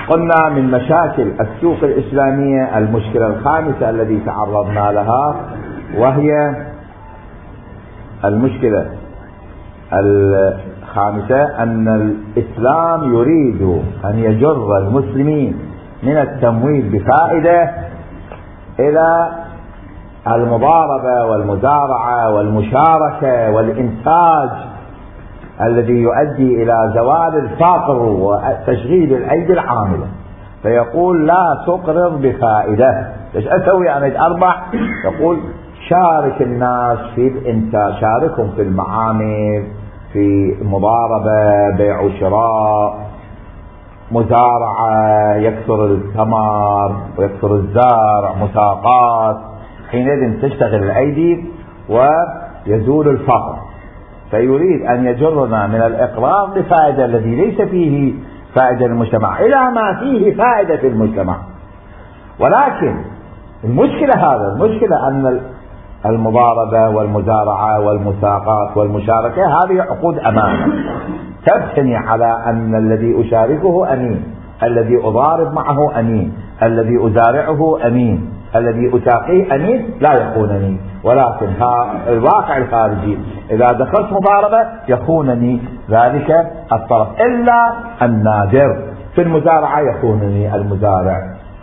قلنا من مشاكل السوق الإسلامية المشكلة الخامسة التي تعرضنا لها، وهي المشكلة الخامسة أن الإسلام يريد أن يجر المسلمين من التمويل بفائدة إلى المضاربة والمزارعة والمشاركة والإنتاج الذي يؤدي إلى زوال الفقر وتشغيل الأيدي العاملة. فيقول لا تقرض بفائدة. ايش أسوي أنا أربح؟ يقول شارك الناس في الإنتاج، شاركهم في المعامل، في مضاربة، بيع وشراء، مزارعة، يكثر الثمر ويكثر الزرع، مساقات، حينئذ تشتغل الأيدي ويزول الفقر. فيريد أن يجرنا من الإقراض بفائدة الذي ليس فيه فائدة للمجتمع إلى ما فيه فائدة في المجتمع. ولكن المشكلة أن المضاربة والمزارعة والمساقات والمشاركة هذه عقود أمانة تبتني على أن الذي أشاركه أمين، الذي أضارب معه أمين، الذي أزارعه أمين، الذي أساقيه أمين لا يخونني. ولكن الواقع الخارجي إذا دخلت مضاربة يخونني ذلك الطرف إلا النادر. في المزارعة يخونني المزارع،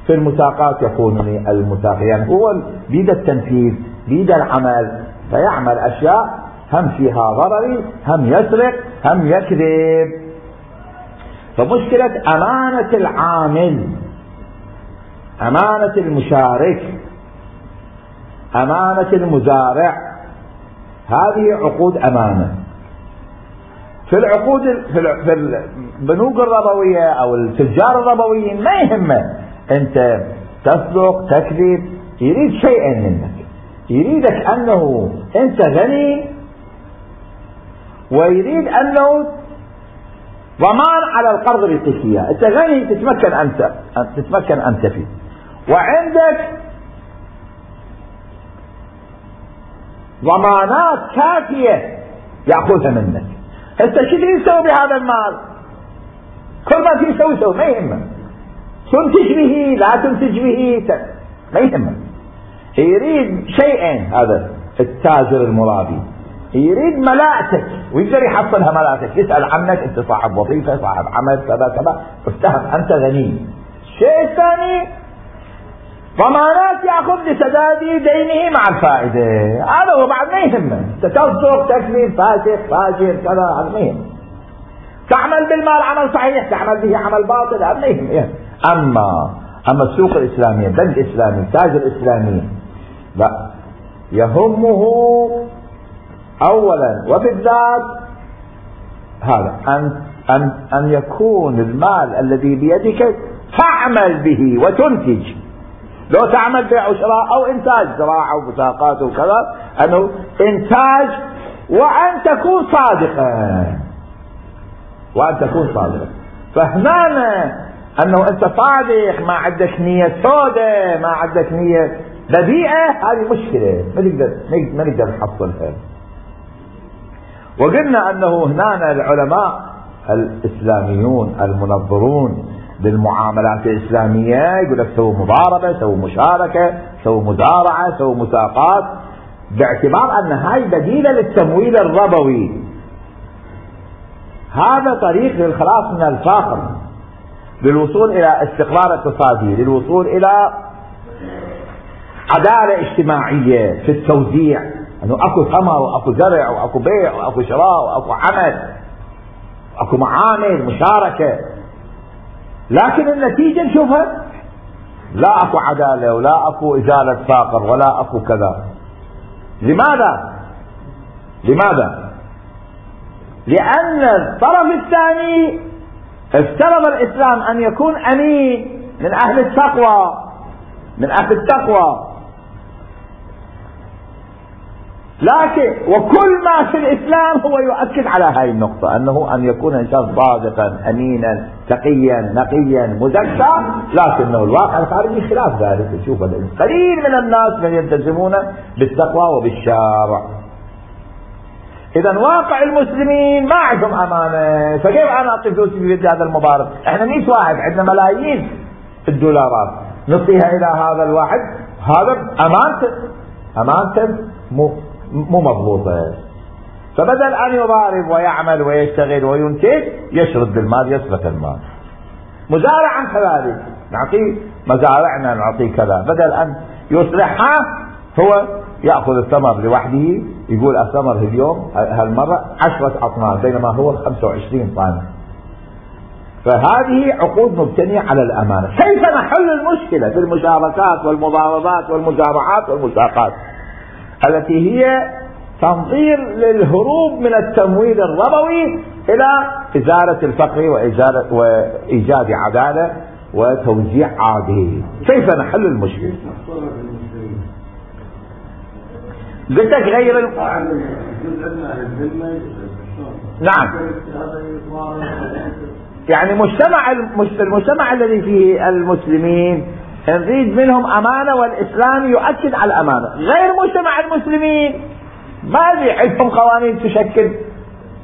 في المساقات يخونني المساقي. يعني هو بيد التنفيذ، بيد العمل، فيعمل أشياء هم فيها ضرري، هم يسرق، هم يكذب. فمشكلة أمانة العامل، أمانة المشارك، أمانة المزارع، هذه عقود أمانة. في العقود في البنوك الربوية أو التجار الربويين ما يهمه أنت تسرق تكذب، يريد شيئا منك، يريدك أنه أنت غني، ويريد أنه ضمان على القرض بالقسية. أنت غني تتمكن أنت فيه، وعندك ضمانات كافية يأخذها منك. أنت شو تسوي بهذا المال؟ كل ما تسوي ما يهمك، تنتج به لا تنتج به ما يهمك. يريد شيئين هذا التاجر المرابي، يريد ملاءتك ويقدر يحصلها ملاءتك، يسأل عنك أنت صاحب وظيفة، صاحب عمل، كذا كذا، افتهم أنت غني. الشيء الثاني ضمانات يأخذ لسداد دينه مع الفائدة. هذا هو بعد ما يهمه. تصدق تكذب فاسق فاجر كذا، هذا ما يهم. تعمل بالمال عمل صحيح، تعمل به عمل باطل، هذا ما يهم. أما السوق الإسلامية، البنك الإسلامي، التاجر الإسلامي، لا، يهمه أولا وبالذات هذا أن يكون المال الذي بيدك تعمل به وتنتج. لو تعمل بيع وشراء أو إنتاج، زراعة ومساقات وكذا، أنه إنتاج، وأن تكون صادقا. فهنا أنه أنت صادق، ما عندك نية سودة، ما عندك نية بذيئة، هذه مشكلة ما نقدر نحصلها. وقلنا أنه هنا العلماء الإسلاميون المنظرون بالمعاملات الإسلامية يقول لك سووا مضاربة، سووا مشاركة، سووا مزارعة، سووا مساقات، باعتبار أن هاي بديلة للتمويل الربوي. هذا طريق للخلاص من الفقر، للوصول إلى استقرار اقتصادي، للوصول إلى عدالة اجتماعية في التوزيع، أنه أكو ثمر وأكو زرع وأكو بيع وأكو شراء وأكو عمل وأكو معامل مشاركة. لكن النتيجة نشوفها، لا أكو عدالة ولا أكو إزالة فقر ولا أكو كذا. لماذا؟ لأن الطرف الثاني افترض الإسلام أن يكون أمين من أهل التقوى، لكن وكل ما في الإسلام هو يؤكد على هاي النقطة، أنه أن يكون إنسان صادقا أمينا تقيا نقيا مزكى. لكنه الواقع الخارجي خلاف ذلك. نشوف قليل من الناس من يلتزمون بالتقوى وبالشرع. اذا واقع المسلمين ما عندهم امانه، فكيف انا اعطي فلوسي في يد هذا المضارب؟ احنا 100 واحد عندنا ملايين الدولارات نعطيها الى هذا الواحد، هذا امانته مو مضبوطه. فبدل ان يضارب ويعمل ويشتغل وينتج يشرد بالمال، يسرق المال. مزارعا كذلك، نعطيه مزارعنا، نعطيه كذا، بدل ان يصلحها هو يأخذ الثمر لوحده، يقول الثمر اليوم هالمرة 10 أطنان بينما هو 25 طن. فهذه عقود مبتنية على الأمانة. كيف نحل المشكلة في المشاركات والمضاربات والمزارعات والمساقات التي هي تنظير للهروب من التمويل الربوي إلى إزالة الفقر وإيجاد عدالة وتوزيع عادل؟ كيف نحل المشكلة؟ قلت لك غير نعم، يعني المجتمع الذي فيه المسلمين نريد منهم أمانة، والإسلام يؤكد على الأمانة. غير مجتمع المسلمين ما ندري عندهم قوانين تشكل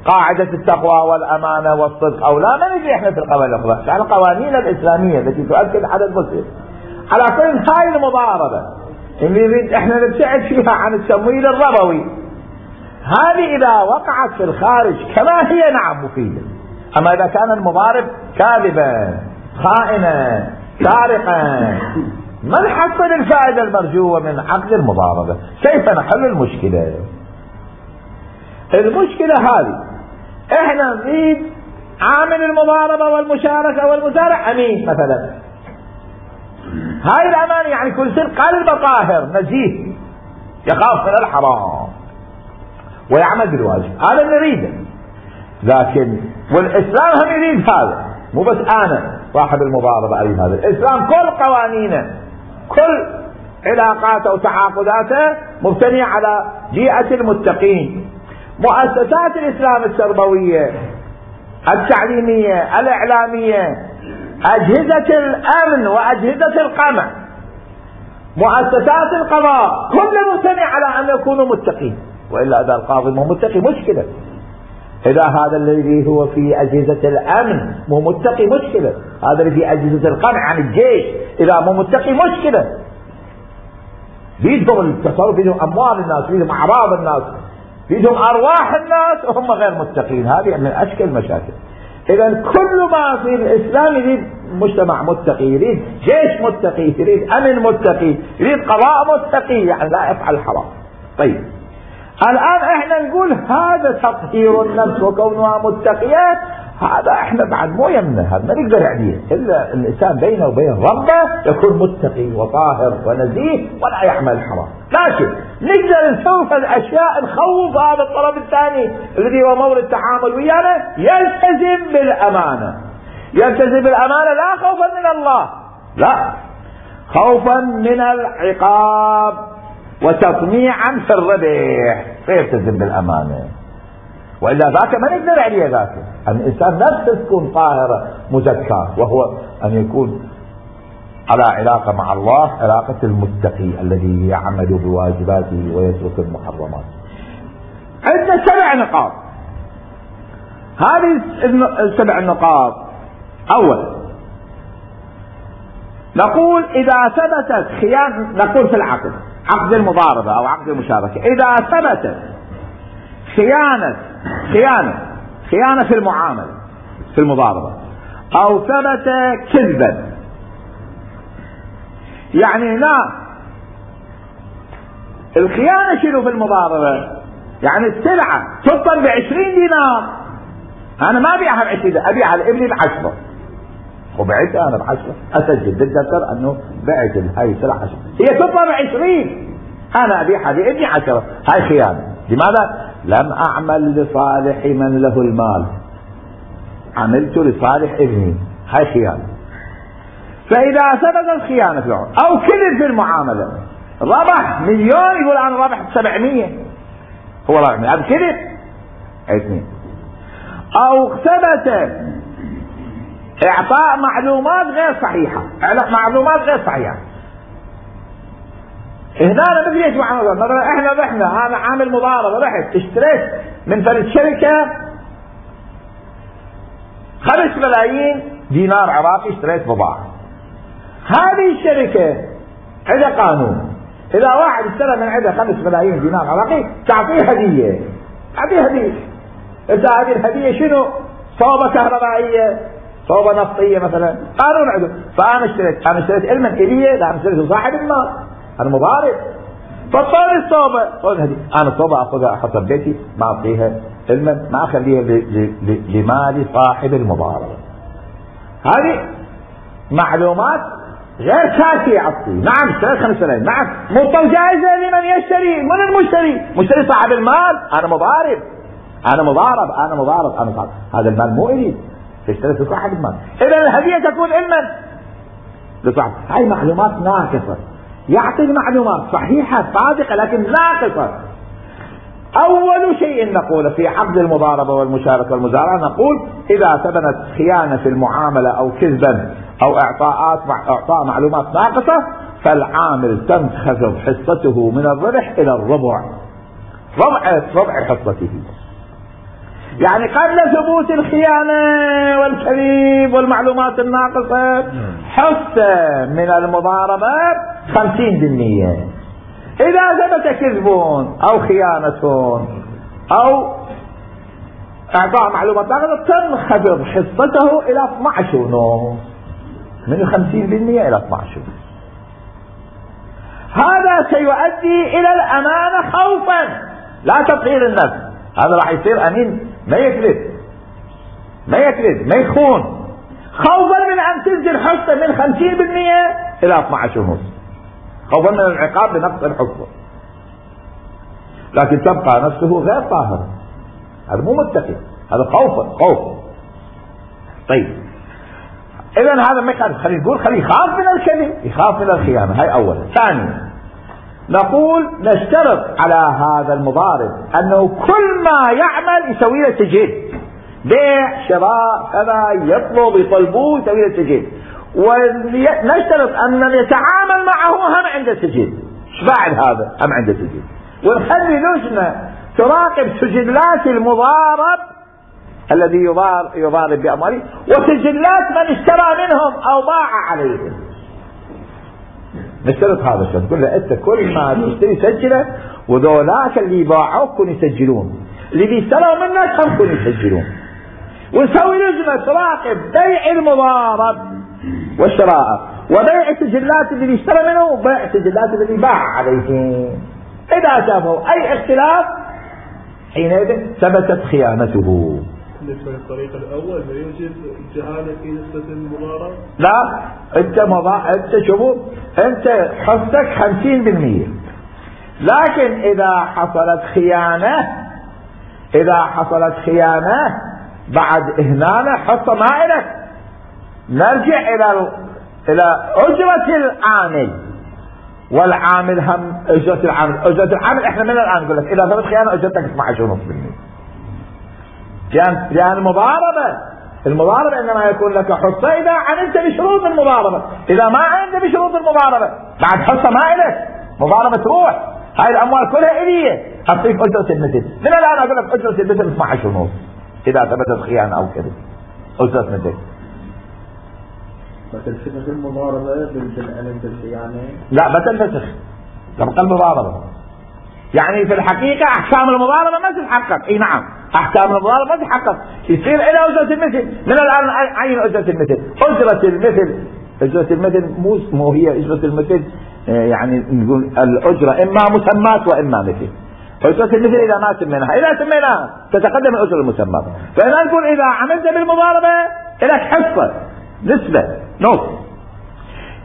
قاعدة التقوى والأمانة والصدق أو لا، ما ندري احنا في القوانين الأخرى، يعني القوانين الإسلامية التي تؤكد على المسلم. على كل هاي المضاربة اللي نريد احنا نبتعد فيها عن التمويل الربوي، هذه إذا وقعت في الخارج كما هي نعم مفيدة. أما إذا كان المضارب كاذبا خائنا سارقا ما نحصل الفائدة المرجوة من عقد المضاربة. كيف نحل المشكلة؟ المشكلة هذه احنا نريد عامل المضاربة والمشاركة والمزارع أمين مثلا، هاي الأمانة يعني كل شيء قلب طاهر نزيه يخاف من الحرام ويعمل بالواجب، هذا نريده. لكن والإسلام هم يريد هذا، مو بس أنا صاحب المضاربة أريد هذا. الإسلام كل قوانينه كل علاقاته وتعاقداته مبتنية على بيئة المتقين. مؤسسات الإسلام التربوية التعليمية الإعلامية أجهزة الأمن وأجهزة القمع مؤسسات القضاء كلها مبتنية على أن يكونوا متقين، وإلا إذا القاضي مو متقي مشكلة، إذا هذا الذي هو في أجهزة الأمن مو متقي مشكلة، هذا اللي في أجهزة القمع عن الجيش إذا مو متقي مشكلة. بيدهم التصرف، بيدهم أموال الناس، بيدهم أعراض الناس، بيدهم أرواح الناس وهم غير متقين، هذه من أشكال المشاكل. إذا كل ما في الإسلام يريد مجتمع متقي، يريد جيش متقي، يريد أمن متقي، يريد قضاء متقي، يعني لا يفعل الحرام. طيب الآن احنا نقول هذا تطهير النفس وكونها متقية، هذا احنا بعد مو يمنا، هذا ما نقدر عليه الا الانسان بينه وبين ربه يكون متقي وطاهر ونزيه ولا يعمل حرام. لكن نقدر نسوي الاشياء نخوف هذا الطرف الثاني الذي هو مورد التعامل ويانا يلتزم بالامانه. يلتزم بالامانه لا خوفا من الله، لا خوفا من العقاب وتطميعا في الربح، فيلتزم بالامانه. والا ذاك ما نقدر عليه، ذاك الانسان نفسه تكون طاهره مزكاه، وهو ان يكون على علاقه مع الله، علاقه المتقي الذي يعمل بواجباته ويترك المحرمات. عندنا 7 نقاط. هذه ال7 نقاط. اول نقول اذا ثبتت خيانه، نقول في العقد، عقد المضاربه او عقد المشاركه، اذا ثبتت خيانة في المعاملة في المضاربة، أو ثبت كذبا، يعني هنا الخيانة شنو في المضاربة؟ يعني السلعة تطن ب20 دينار، أنا ما أبيعها ب20، أبيعها لابني ب10، وبعتها أنا ب10، أسجل بالدفتر أنه بعت هاي السلعة 10، هي تطن ب20، أنا أبيعها لابني 10، هاي خيانة. لماذا؟ لم أعمل لصالح من له المال، عملت لصالح ابني، هاي خيانة. فإذا ثبت الخيانة في العقد أو كذب في المعاملة، ربح 1,000,000 يقول أنا ربحت 700، هو ربح 100، هذا كذب 2. أو ثبت إعطاء معلومات غير صحيحة، هنا أنا بدي أسمع مثلا إحنا رحنا، أنا عامل مضاربة، رحت اشتريت من فرد شركة 5 ملايين دينار عراقي، اشتريت بضاعة. هذه الشركة عندها قانون، إذا واحد اشترى من عندها 5 ملايين دينار عراقي تعطيه هدية، تعطيه هدية. إذا هذه الهدية شنو؟ صوبة كهربائية، صوبة نفطية مثلا، قانون عنده. فأنا اشتريت علما إليه، لا أنا اشتريت صاحب المال، أنا مضارب. فصار الصوبة، صار الهدية، أنا الصوبة أخذها أحطها ببيتي، ما أعطيها علما، ما أخليها لمال صاحب المضاربة. هذه معلومات غير كافية أعطي. نعم اشتريت 5 ملايين، نعم مطلع جائزة لمن يشتري، من المشتري؟ مشتري صاحب المال، أنا مضارب، هذا المال مو إلي، اشتريت صاحب المال، إذا الهدية تكون علما لصاحب. هاي معلومات ناقصة، يعطي معلومات صحيحة صادقة لكن ناقصة. أول شيء نقول في عقد المضاربة والمشاركة والمزارعة، نقول إذا ثبتت خيانة في المعاملة أو كذبا أو إعطاء معلومات ناقصة، فالعامل تنخفض حصته من الربح إلى الربع، ربع حصته. يعني قبل ثبوت الخيانة والكذب والمعلومات الناقصة حصة من المضاربة 50%. إذا ثبت كذب أو خيانة أو إعطاء معلومات ناقصة تنخفض حصته إلى 12.5، من 50% إلى 12. هذا سيؤدي إلى الأمانة خوفا، لا تطهير النفس. هذا راح يصير أمين، ما يكذب ما يخون، خوفا من أن تنزل حصة من 50% إلى 12.5، خوفا من العقاب بنقص الحصة. لكن تبقى نفسه غير طاهر، هذا مو متقي، هذا خوف. طيب إذا هذا ما يخالف، خليه نقول خليه يخاف من الكذب، يخاف من الخيانة. هاي أولا. ثانيا نقول نشترط على هذا المضارب أنه كل ما يعمل يسوي له سجل، بيع شراء كذا يطلبوه يسوي له سجل، ونشترط أن من يتعامل معه هم عنده سجل. ايش بعد هذا؟ هم عنده سجل، ونخلي لجنة تراقب سجلات المضارب الذي يضارب بأمواله وسجلات من اشترى منهم أو باع عليهم. نشترط هذا الشيء، نقول له أنت كل ما تشتري سجله، وذولاك اللي باعوك كن يسجلون، اللي بيشتروا منك هم كن يسجلون. ونسوي لجنة تراقب بيع المضارب والشراء، وبيع السجلات اللي بيشترى منه، وبيع السجلات اللي باع عليهم. إذا شافوا أي اختلاف حينئذ ثبتت خيانته. بالنسبة للطريق الأول لا يوجد جهالة في نسبة المضاربة؟ لا، أنت شوفوا، أنت حصتك 50%، لكن إذا حصلت خيانة بعد إهمالة حصة ما إلك. نرجع إلى أجرة العامل، والعامل هم أجرة العامل احنا من الآن نقول لك إذا ثبت خيانة أجرتك 12.5%. لأن المضاربة إنما يكون لك حصة إذا عملت بشروط المضاربة، إذا ما عملت بشروط المضاربة بعد حصة ما إلك، مضاربة تروح. هاي الأموال كلها إليه، أعطيك أجرة المثل. من الآن أقول لك أجرة المثل 12.5 إذا ثبتت خيانة أو كذب، أجرة مثل. فتنفسخ المضاربة بالعلم بالخيانة؟ لا، ما تنفسخ، تبقى المضاربة. يعني في الحقيقة أحكام المضاربة ما تتحقق. اي نعم، أحكام المضاربة ما تتحقق، يصير إلى أجرة المثل. من الآن عين أجرة المثل. أجرة المثل مو هي أجرة المثل، يعني نقول الأجرة إما مسمات وإما مثل. أجرة المثل إذا ما سميناها، إذا سميناها تتقدم الأجرة المسمات. فإذا نقول إذا عملت بالمضاربة لك حصة، نسبة، نص.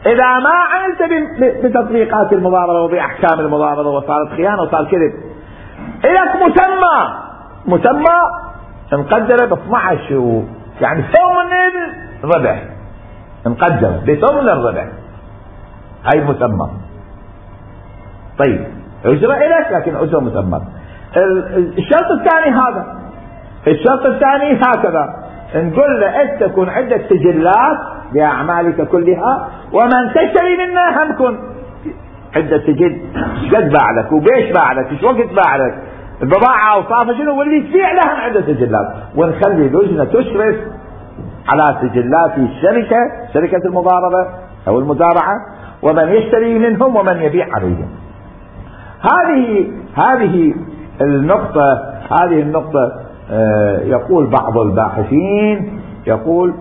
إذا ما عملت بتطبيقات المضاربة وبأحكام المضاربة وصارت خيانة وصار كذب، إلك مسمى مقدرة ب 12، يعني ثمن الربح، مقدرة بثمن الربح، هاي مسمى. طيب أجرة إلك لكن أجرة مسمى. الشرط الثاني هذا. الشرط الثاني هكذا، نقول له أنت تكون عندك سجلات بأعمالك كلها، ومن تشتري منها هم كن عنده سجل ايش قد باع لك وبيش باع لك ايش وقت باع لك البضاعة اوصافها شنو واللي تبيع لها عنده سجلات، ونخلي لجنة تشرف على سجلات الشركة، شركة المضاربة او المزارعة، ومن يشتري منهم ومن يبيع عليهم. هذه النقطة يقول بعض الباحثين، يقول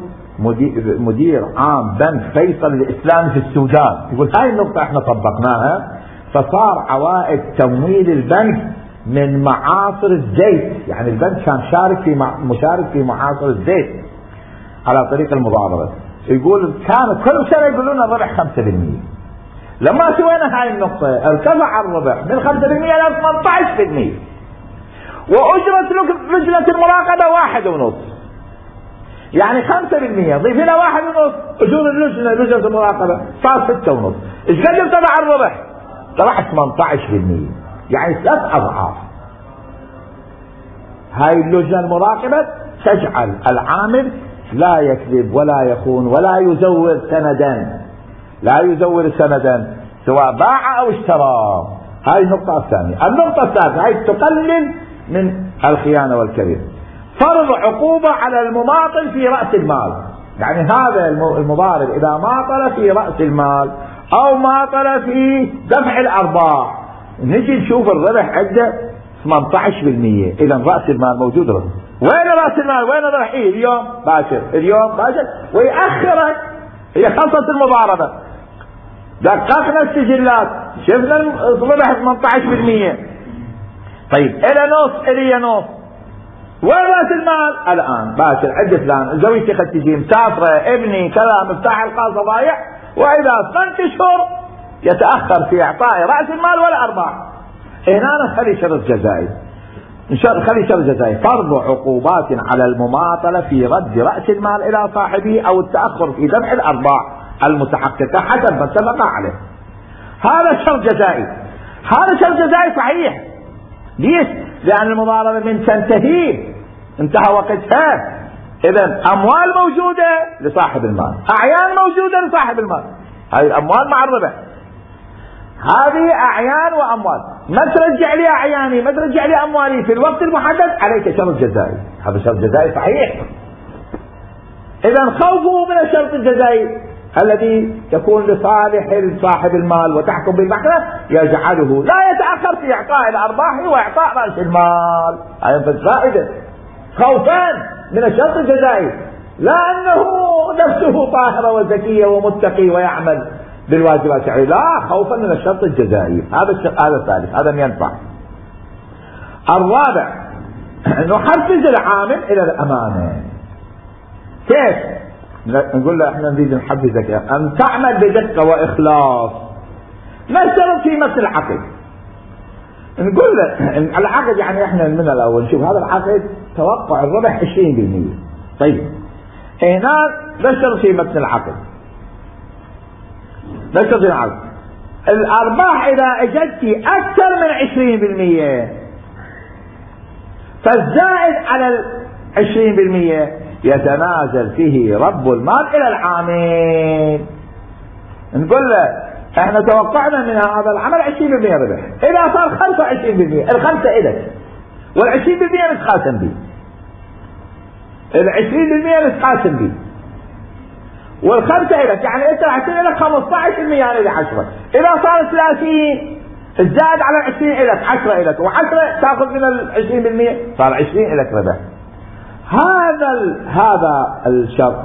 مدير عام بنك فيصل الإسلامي في السودان، يقول هاي النقطة احنا طبقناها فصار عوائد تمويل البنك من معاصر الزيت، يعني البنك كان مشارك في معاصر الزيت على طريق المضاربة. يقول كانت كل سنة يقولون الربح 5%. لما سوينا هاي النقطة ارتفع الربح من 5% إلى 18%، وأجرة لجنة المراقبة 1.5، يعني 5% ضيف لنا 1.5 أجور لجنة المراقبة صار 6.5. ايش قد ارتفع الربح؟ طلع 18%، يعني 3 أضعاف. هاي اللجنة المراقبة تجعل العامل لا يكذب ولا يخون ولا يزور سندا سواء باع او اشترى. هاي النقطة الثانية. النقطة الثالثة هاي تقلل من الخيانة والكذب. فرض عقوبة على المماطل في رأس المال، يعني هذا المضارب إذا ماطل في رأس المال أو ماطل في دفع الأرباح، نجي نشوف الربح عنده 18%، إذا رأس المال موجود. وين رأس المال؟ وين الربح؟ اليوم باشر ويأخرك. هي خلصت المضاربة، دققنا السجلات شفنا الربح 18%. طيب إلى نص وين رأس المال؟ الآن باشر عند فلان زوجتي قد تجي مسافرة، ابني كذا، مفتاح الخاصة ضايع، وإذا 8 أشهر يتأخر في إعطاء رأس المال والأرباح. هنا نخلي شرط جزائي، فرض عقوبات على المماطلة في رد رأس المال إلى صاحبه أو التأخر في دفع الأرباح المتحققة حسب ما اتفق عليه. هذا شرط جزائي. صحيح. ليش؟ لأن المضاربة من تنتهي انتهى وقتها. إذن أموال موجودة لصاحب المال، أعيان موجودة لصاحب المال. هذه الأموال مع الربح، هذه أعيان وأموال. ما ترجع لي أعياني، ما ترجع لي أموالي في الوقت المحدد، عليك شرط جزائي. هذا شرط جزائي صحيح. إذن خوفوا من الشرط الجزائي الذي يكون لصالح صاحب المال وتحكم بالمحكمة يجعله لا يتأخر في إعطاء الأرباح وإعطاء رأس المال. هذا فائدة خوفان من الشرط الجزائي، لا أنه نفسه طاهرة وزكية ومتقي ويعمل بالواجبات الشرعية، لا، خوفا من الشرط الجزائي. هذا الثالث، هذا ينفع. الرابع نحفز العامل إلى الأمانة. كيف؟ نقول له احنا نريد نحفزك أن تعمل بدقة وإخلاص، نشترط في مثل العقد. نقول له العقد يعني احنا من الأول نشوف هذا العقد توقع الربح 20%. طيب هنا نشترط في مثل العقد، الأرباح إذا اجت أكثر من 20% فالزائد على 20% يتنازل فيه رب المال إلى العامل. نقول له احنا توقعنا من هذا العمل 20% ربح، إذا صار 25% الخمسة إلك، وال20% نتقاسم به، ال20% به، والخمسة إلك، يعني أنت راح يصير لك 15% يعني ل10. إذا صار 30 الزائد على 20 إلك، 10 إلك، و10 تأخذ من 20%، صار 20 إلك ربح. هذا الشرط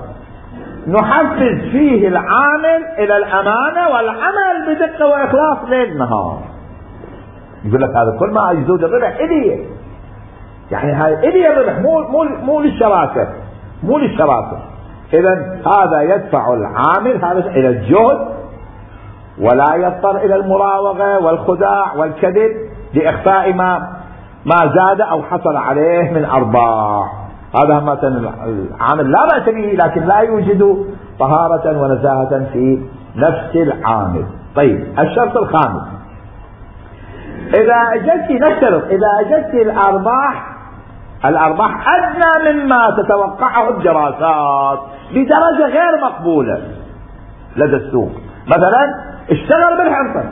نحفز فيه العامل إلى الأمانة والعمل بدقة وإخلاص ليل نهار. يقول لك هذا كل ما يزود الربح إليه، يعني هاي إليه الربح، مو للشراكة. إذن هذا يدفع العامل هذا إلى الجهد، ولا يضطر إلى المراوغة والخداع والكذب لإخفاء ما زاد أو حصل عليه من أرباح. هذا مثلا العامل لا بأس به، لكن لا يوجد طهارة ونزاهة في نفس العامل. طيب الشرط الخامس، إذا أجدت الأرباح أدنى مما تتوقعه الدراسات بدرجة غير مقبولة لدى السوق، مثلا اشتغل بالحنطة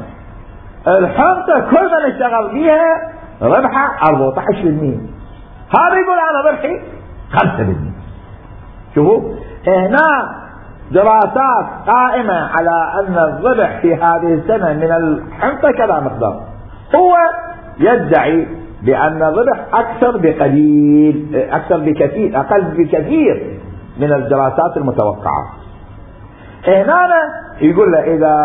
الحنطة كل ما نشتغل فيها ربحها 14%. هذا يقول انا ربحي 5%. شوفوا هنا دراسات قائمة على ان الربح في هذه السنة من الحنطة كذا مقدار. هو يدعي بان الربح اكثر بقليل، اكثر بكثير، اقل بكثير من الدراسات المتوقعة. هنا يقول له اذا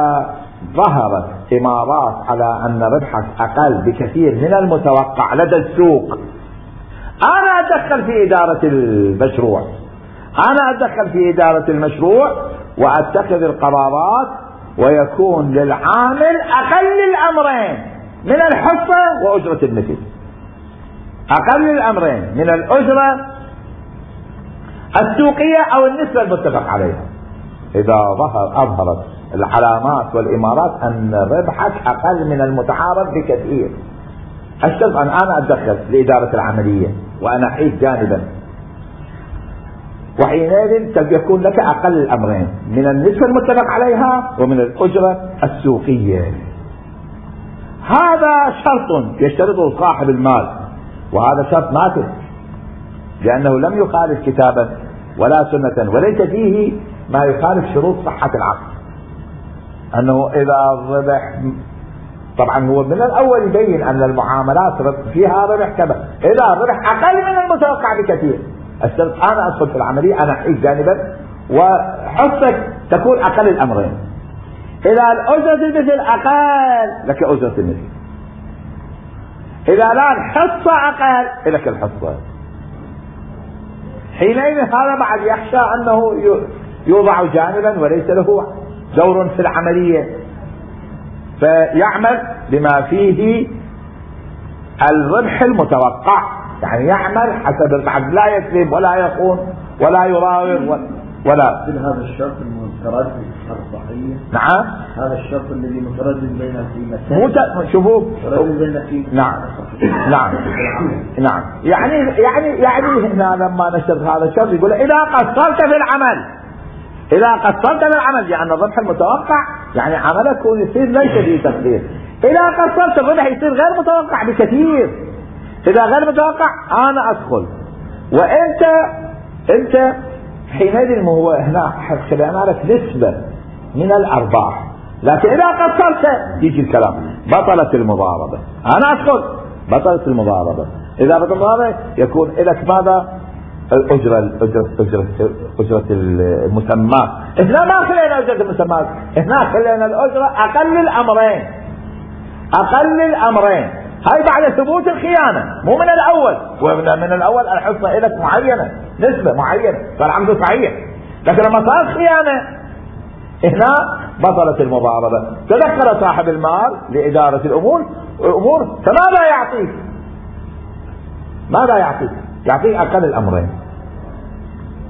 ظهرت امارات على ان ربحك اقل بكثير من المتوقع لدى السوق، انا اتدخل في ادارة المشروع، انا اتدخل في ادارة المشروع واتخذ القرارات، ويكون للعامل اقل الامرين من الحصة واجرة المثل، اقل الامرين من الاجرة السوقية او النسبة المتفق عليها. اذا اظهرت العلامات والامارات ان ربحك اقل من المتعارف بكثير، اشترط ان انا اتدخل لادارة العملية وانا احيد جانبا، وحينئذ يكون لك اقل الامرين من النسبة المتفق عليها ومن الاجرة السوقية. هذا شرط يشترطه صاحب المال، وهذا شرط نافذ لانه لم يخالف كتابا ولا سنة، وليس فيه ما يخالف شروط صحة العقد. انه اذا الربح، طبعا هو من الاول يبين ان المعاملات فيها ربح كذا، اذا الربح اقل من المتوقع بكثير اشترط انا ادخل في العملية، انا احيد جانبا وحصتك تكون اقل الامرين. اذا الاجرة المثل اقل لك اجرة المثل، اذا لا الحصة اقل لك الحصة. حينئذ هذا بعد يخشى انه يوضع جانبا وليس له دور في العملية، فيعمل بما فيه الربح المتوقع، يعني يعمل حسب العقد، لا يكذب ولا يخون ولا يراوغ ولا. هذا الشرط المتردد الصحيح. نعم هذا الشرط الذي متردد بين القيمتين. شوفوا نعم نعم نعم يعني هنا لما نشترط هذا الشرط يقول اذا قصرت في العمل، اذا قصرت في العمل يعني الربح المتوقع، يعني عملك يصير ليس فيه تقدير. اذا قصرت الربح يصير غير متوقع بكثير. اذا غير متوقع انا ادخل، وانت حينئذ هو هنا خلينا لك نسبة من الارباح، لكن اذا قصرت يجي الكلام بطلت المضاربة، انا ادخل بطلت المضاربة. اذا بطلت المضاربة يكون لك ماذا؟ أجرة المسمى. هنا ما خلينا أجرة المسمى، هنا خلينا الأجرة أقل الأمرين. هاي بعد ثبوت الخيانة، مو من الأول. ومن الأول الحصة لك معينة، نسبة معينة، فالعمد صحيح. لكن لما صار خيانة هنا بطلت المضاربة. تدخل صاحب المال لإدارة الأمور، فماذا يعطيك؟ ماذا يعطيك؟ يعطيك أقل الأمرين،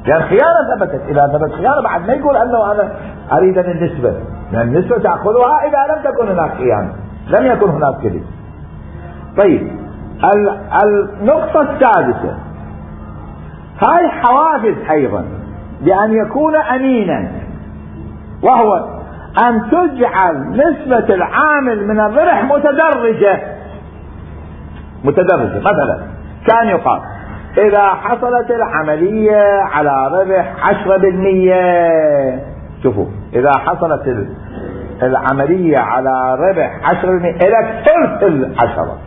لأن خيانة ثبتت. إذا ثبت خيانة بعد ما يقول أنه أنا أريد النسبة، لأن النسبة تأخذها إذا لم تكن هناك خيانة، لم يكن هناك كذب. طيب النقطة السادسة، هاي حوافز أيضا بأن يكون أمينا، وهو أن تجعل نسبة العامل من الربح متدرجة. مثلا كان يقال إذا حصلت العملية على ربح 10%، شوفوا إذا حصلت العملية على ربح 10% إلى ثلث 10.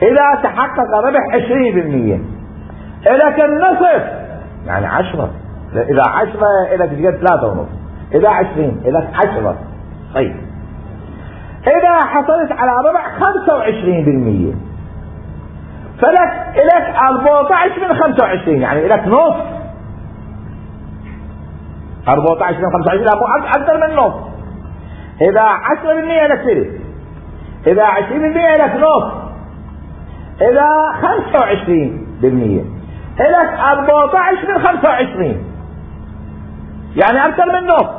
إذا تحقق ربح 20% إلى النصف، يعني 10. إذا 10 إلى تجد 3.5، إذا 20 إلى 10. طيب إذا حصلت على ربح 25% فلك إليك 14 من 25، يعني إليك نص. 14 من 25 لا مو أكثر من نص. إذا 10% إليك ثلث، إذا 20% إليك نص، إذا 25% إليك 14 من 25، يعني أكثر من نص.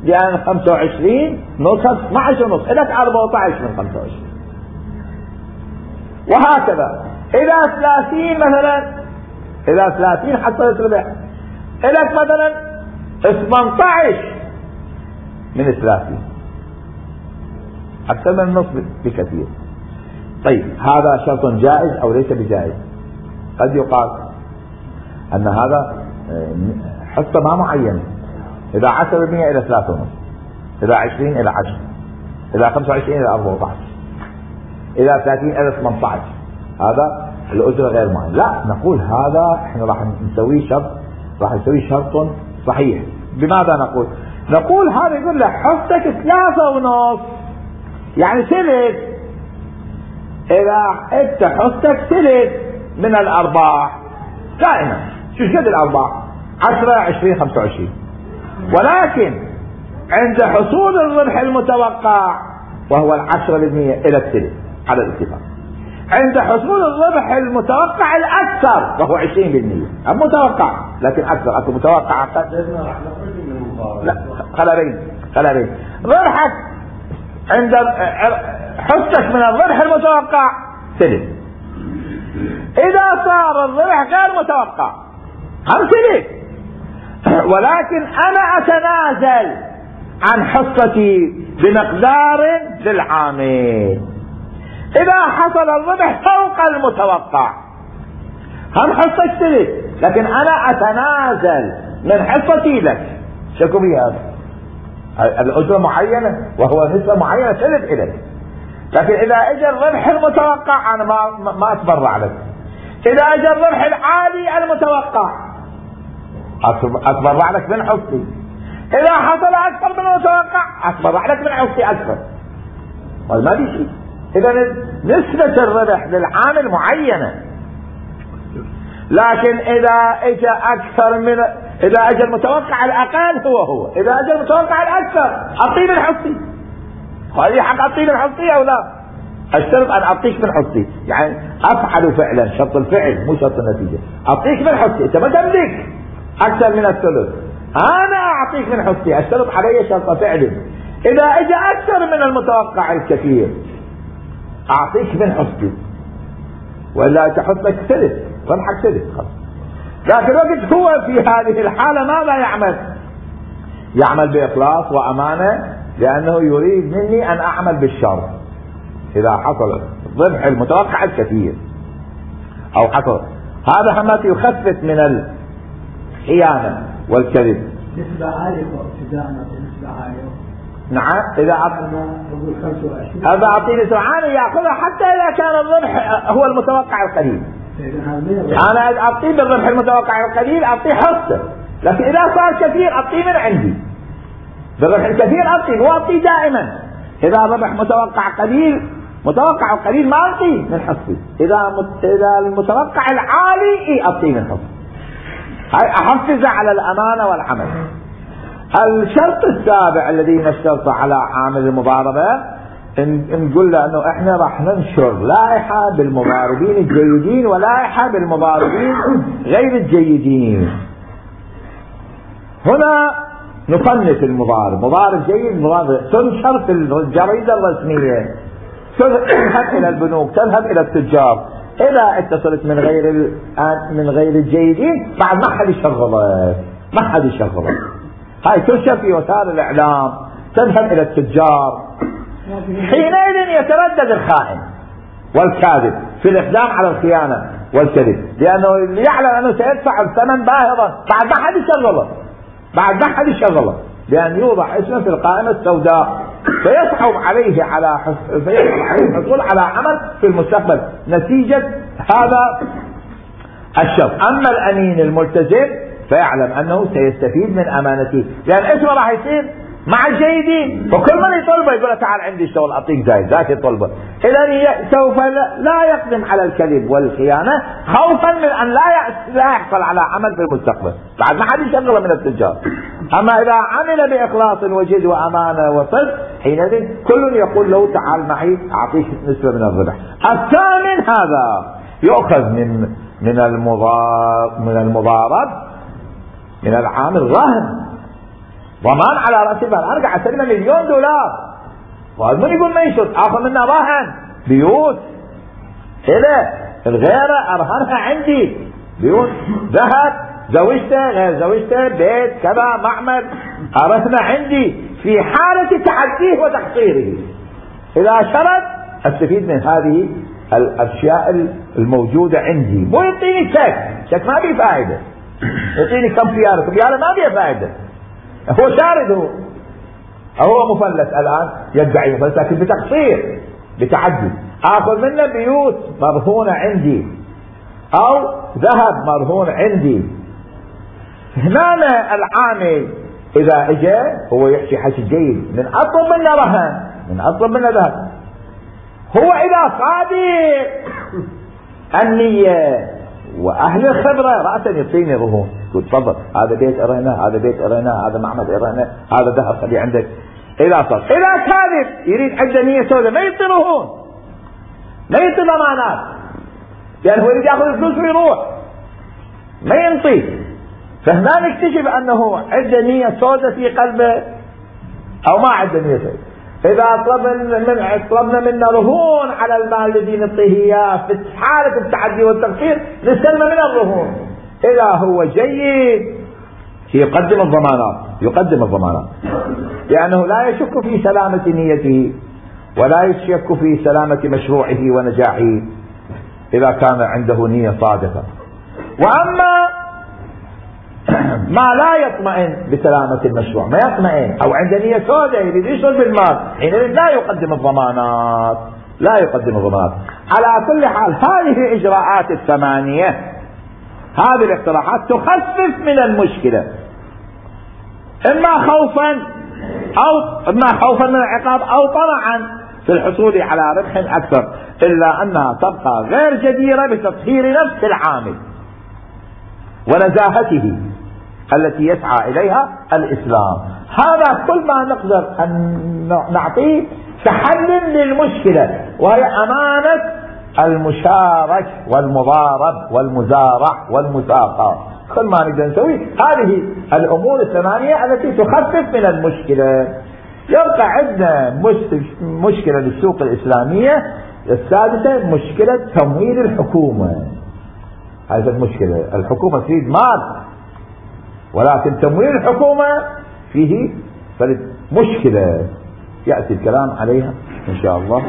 لأن 25 نص 12 ونص، إليك 14 من 25. وهكذا إذا 30 مثلا، إذا 30 حصلت ربح إليك مثلا 18 من 30، أكثر من النصف بكثير. طيب هذا شرط جائز أو ليس بجائز؟ قد يقال أن هذا حصة ما معينة، إذا 10% إلى 3.5، إذا 20 إلى 10، إذا 25 إلى 14، إذا 30 إلى 18، هذا الأجرة غير معين. لا، نقول هذا احنا راح نسويه شرط، راح نسويه شرط صحيح. بماذا نقول؟ نقول هذا يقول له حصتك 3.5 يعني ثلث، إذا أنت حصتك ثلث من الأرباح دائما. شو قد الأرباح؟ 10 20 25، ولكن عند حصول الربح المتوقع وهو 10% إلى الثلث على الاتفاق، عند حصول الربح المتوقع الأكثر وهو 20%، المتوقع لكن أكثر، أكثر متوقع لا خلابين ربحك عند حصتك من الربح المتوقع ثلث. إذا صار الربح غير متوقع هم ثلث، ولكن أنا أتنازل عن حصتي بمقدار للعامل. إذا حصل الربح فوق المتوقع هم حصتك ثلث، لكن أنا أتنازل من حصتي لك. شكو بها الأجرة معينة وهو نسبة معينة ثلث إليك، لكن إذا اجى الربح المتوقع أنا ما أتبرع لك. إذا اجى الربح العالي المتوقع أتبرع لك من حصتي. إذا حصل أكثر من المتوقع أتبرع لك من حصتي أكثر. ما في شيء. إذا نسبة الربح للعامل معينة، لكن إذا اجى أكثر من، إذا اجى المتوقع الأقل هو، إذا اجى المتوقع الأكثر أعطيه من حصتي. هذه حق أعطيه من حصتي أو لا؟ أشترط أن أعطيك من حصتي، يعني أفعل فعلا، شرط الفعل مو شرط النتيجة. أعطيك من حصتي، أنت ما تملك أكثر من الثلث، أنا أعطيك من حصتي، أشترط علي شرط فعل. إذا اجى أكثر من المتوقع الكثير أعطيك من حصتي، ولا تحطك ثلث، ربحك ثلث خلاص. لكن الوقت هو في هذه الحالة ماذا يعمل؟ يعمل بإخلاص وأمانة، لأنه يريد مني أن أعمل بالشر. إذا حصل الربح المتوقع الكثير أو حصل هذا همات يخفف من الخيانة والكذب. نسبة عالية نسبة عالية. نعم، إذا أعطي نسبة عالية يأخذها حتى إذا كان الربح هو المتوقع القليل. أنا أعطيه بالربح المتوقع القليل أعطيه حصة، لكن إذا صار كثير أعطيه من عندي. بالربح الكثير أعطيه، وأعطيه دائما. إذا الربح متوقع قليل، متوقع قليل ما أعطيه من حصتي. إذا المتوقع العالي أعطيه من حصتي. هاي أحفز على الأمانة والعمل. الشرط السابع الذي نشترط على عامل المضاربة، نقول له أنه إحنا راح ننشر لائحة بالمضاربين الجيدين ولائحة بالمضاربين غير الجيدين. هنا نصنف المضارب، مضارب جيد، مضارب تنشر في الجريدة الرسمية، تذهب إلى البنوك، تذهب إلى التجار. إذا اتصلت من غير الجيدين بعد ما حد يشغلك، هاي تنشر في وسائل الإعلام، تذهب إلى التجار. حينئذ يتردد الخائن والكاذب في الإقدام على الخيانة والكذب، لأنه يعلم أنه سيدفع الثمن باهظا بعد ما حد يشغله، لأن يوضع اسمه في القائمة السوداء، فيصعب عليه الحصول على عمل في المستقبل نتيجة هذا الشرط. أما الأمين الملتزم فيعلم أنه سيستفيد من أمانته، لأن اسمه راح يصير مع الجيدين، وكل من يطلبه يقول تعال عندي اشتغل أعطيك زايد ذاك يطلبه. إذا سوف لا يقدم على الكذب والخيانة خوفا من أن لا يحصل على عمل في المستقبل بعد ما حد يشغله من التجار. أما إذا عمل بإخلاص وجد وأمانة وصدق، حينئذ كل يقول له تعال معي أعطيك نسبة من الربح. الثامن هذا يؤخذ من المضارب من العامل رهن، ضمان على رأس المال. أنا قاعد أسلم $1,000,000، وهذا من يقول ما يشرط آخذ منه رهن بيوت، إلى الغيرة أرهنها عندي، بيوت ذهب، زوجته غير زوجته، بيت كذا، معمل أرهنها عندي في حالة تعديه وتقصيره. إذا شرد أستفيد من هذه الأشياء الموجودة عندي، مو يعطيني شك ما بيه فائدة، يعطيني كم خيارة ما بيه فائدة، هو شارد، هو مفلس الآن يدعي مفلس لكن بتقصير بتعدي. آخذ منه بيوت مرهونة عندي أو ذهب مرهون عندي. هنا العامل إذا اجى هو يحكي حكي جيد، من أطلب منه رهن، من أطلب منه ذهب، هو إذا صادق النية وأهل الخبرة رأسا يعطيني رهون، يقول تفضل هذا بيت أرهنه، هذا بيت أرهنه، هذا معمد أرهنه، هذا ذهب خليه عندك. إذا صدق، إذا كاذب يريد عنده نية سوداء ما يعطي رهون، ما يعطي ضمانات، لأن هو يريد يأخذ الفلوس ويروح ما ينطي. فهنا نكتشف أنه عنده نية سوداء في قلبه أو ما عنده نية سوداء. إذا طلبنا منه رهون على المال الذي نعطيه إياه في حالة التعدي والتقصير نستلم من الرهون. إذا هو جيد يقدم الضمانات لأنه لا يشك في سلامة نيته ولا يشك في سلامة مشروعه ونجاحه إذا كان عنده نية صادقة. وأما ما لا يطمئن بسلامة المشروع، ما يطمئن أو عنده نية سوداء يريد يشغل بالمال، حينئذ لا يقدم الضمانات. على كل حال هذه الإجراءات الثمانية، هذه الاقتراحات تخفف من المشكلة، إما خوفا من العقاب أو طمعا في الحصول على ربح أكثر، إلا أنها تبقى غير جديرة بتطهير نفس العامل ونزاهته التي يسعى إليها الإسلام. هذا كل ما نقدر أن نعطيه كحل للمشكلة، وهي أمانة المشارك والمضارب والمزارع والمساقة. كل ما نقدر نسوي هذه الأمور الثمانية التي تخفف من المشكلة. يبقى عندنا مشكلة للسوق الإسلامية السادسة، مشكلة تمويل الحكومة. هذه المشكلة، الحكومة تريد مال ولكن تمويل الحكومة فيه مشكلة يأتي الكلام عليها إن شاء الله.